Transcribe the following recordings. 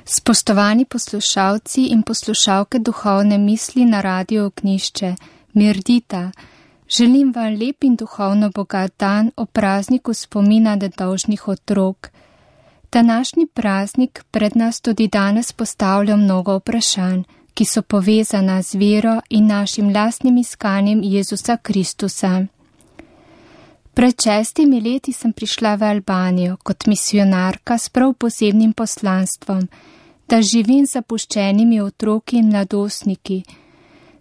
Spoštovani poslušalci in poslušalke Duhovne misli na Radiu Ognjišče, mirdita, želim vam lep in duhovno bogat dan o prazniku spomina nedolžnih otrok. Današnji praznik pred nas tudi danes postavlja mnogo vprašanj, ki so povezana z vero in našim lastnim iskanjem Jezusa Kristusa. Pred 6 leti sem prišla v Albanijo kot misionarka s prav posebnim poslanstvom, da živim z zapuščenimi otroki in mladostniki.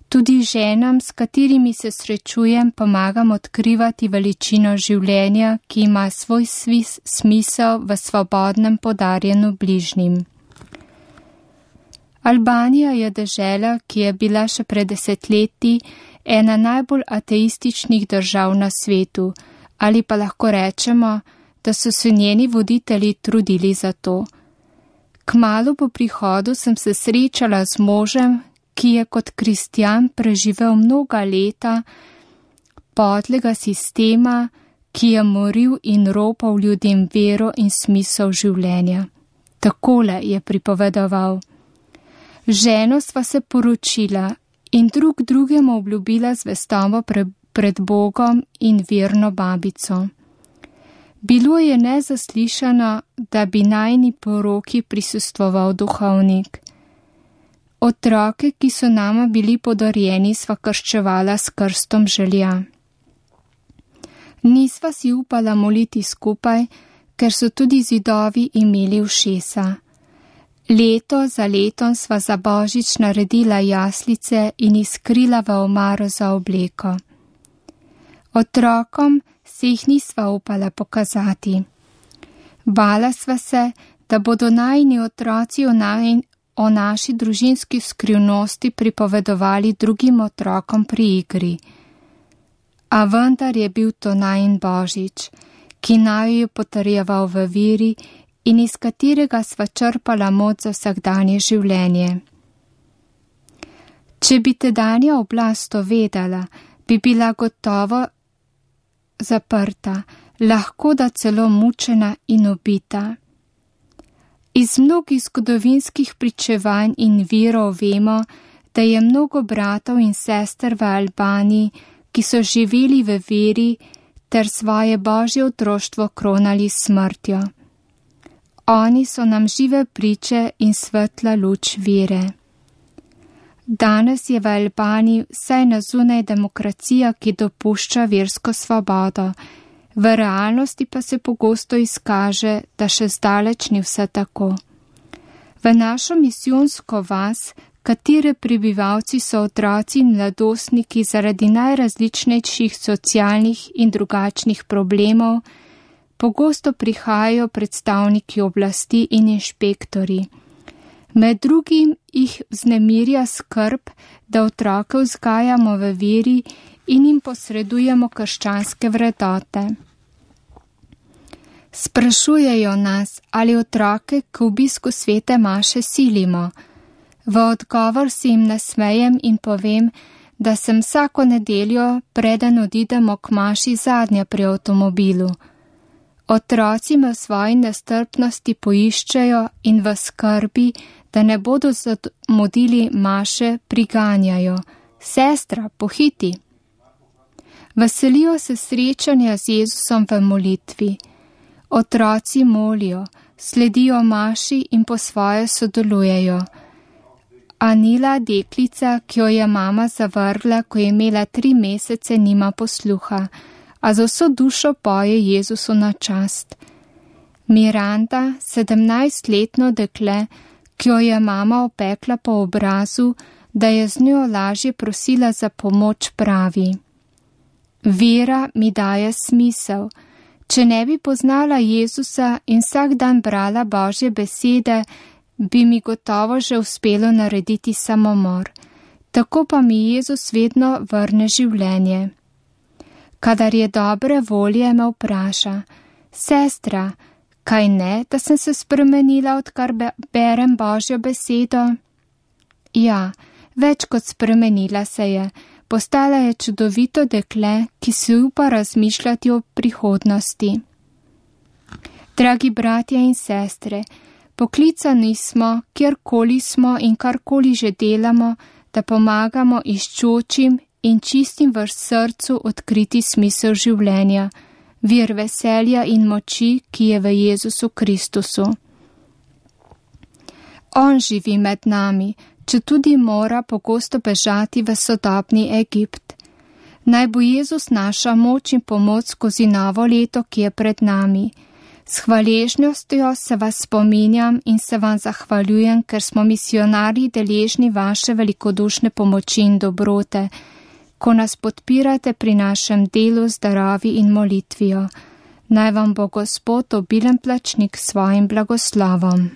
Tudi ženam, s katerimi se srečujem, pomagam odkrivati veličino življenja, ki ima svoj smisel v svobodnem podarjenu bližnjim. Albanija je dežela, ki je bila še pred 10 leti ena najbolj ateističnih držav na svetu, ali pa lahko rečemo, da so se njeni voditelji trudili za to. Kmalu po prihodu sem se srečala z možem, ki je kot kristjan preživel mnoga leta podlega sistema, ki je moril in ropal ljudem vero in smisel življenja. Takole je pripovedoval. Ženo sva se poročila in drug drugemu obljubila zvestobo pred Bogom in verno babico. Bilo je nezaslišano, da bi najini poroki prisostvoval duhovnik. Otroke, ki so nama bili podarjeni, sva krščevala s krstom želja. Nisva si upala moliti skupaj, ker so tudi zidovi imeli ušesa. Leto za letom sva za Božič naredila jaslice in izkrila v omaro za obleko. Otrokom se jih nisva upala pokazati. Bala sva se, da bodo najini otroci o naši družinski skrivnosti pripovedovali drugim otrokom pri igri. A vendar je bil to najin Božič, ki naju je potrjeval v veri in iz katerega sva črpala moč za vsakdanje življenje. Če bi tedanja oblast to vedela, bi bila gotovo zaprta, lahko da celo mučena in ubita. Iz mnogih zgodovinskih pričevanj in virov vemo, da je mnogo bratov in sester v Albaniji, ki so živeli v veri ter svoje božje otroštvo kronali s smrtjo. Oni so nam žive priče in svetla luč vere. Danes je v Albaniji vsaj na zunaj demokracija, ki dopušča versko svobodo, v realnosti pa se pogosto izkaže, da še zdaleč ni vse tako. V našo misijonsko vas, katere prebivalci so otroci in mladostniki zaradi najrazličnejših socialnih in drugačnih problemov, pogosto prihajajo predstavniki oblasti in inšpektori. Med drugim jih vznemirja skrb, da otroke vzgajamo v veri in jim posredujemo krščanske vrednote. Sprašujejo nas, ali otroke k obisku svete maše silimo. V odgovor si jim nasmejem in povem, da sem vsako nedeljo, preden odidemo k maši, zadnja pri avtomobilu. Otroci me v svoji nestrpnosti poiščejo in v skrbi, da ne bodo zamudili maše, priganjajo. Sestra, pohiti! Veselijo se srečanja z Jezusom v molitvi. Otroci molijo, sledijo maši in po svoje sodelujejo. Anila, deklica, ki jo je mama zavrgla, ko je imela 3 mesece, nima posluha, a z vso dušo poje Jezusu na čast. Miranda, 17-letno dekle, ki jo je mama opekla po obrazu, da je z njo lažje prosila za pomoč, pravi: Vera mi daje smisel. Če ne bi poznala Jezusa in vsak dan brala Božje besede, bi mi gotovo že uspelo narediti samomor. Tako pa mi Jezus vedno vrne življenje. Kadar je dobre volje, me vpraša: Sestra, kaj ne, da sem se spremenila, odkar berem Božjo besedo? Ja, več kot spremenila se je. Postala je čudovito dekle, ki si upa razmišljati o prihodnosti. Dragi bratje in sestre, Poklicani smo, kjerkoli smo in karkoli že delamo, da pomagamo iščočim in čistim v srcu odkriti smisel življenja, vir veselja in moči, ki je v Jezusu Kristusu. On živi med nami, četudi mora pogosto bežati v sodobni Egipt. Naj bo Jezus naša moč in pomoč skozi novo leto, ki je pred nami. S hvaležnostjo se vas spominjam in se vam zahvaljujem, ker smo misionarji deležni vaše velikodušne pomoči in dobrote, ko nas podpirate pri našem delu z darovi in molitvijo. Naj vam bo Gospod obilen plačnik s svojim blagoslovom.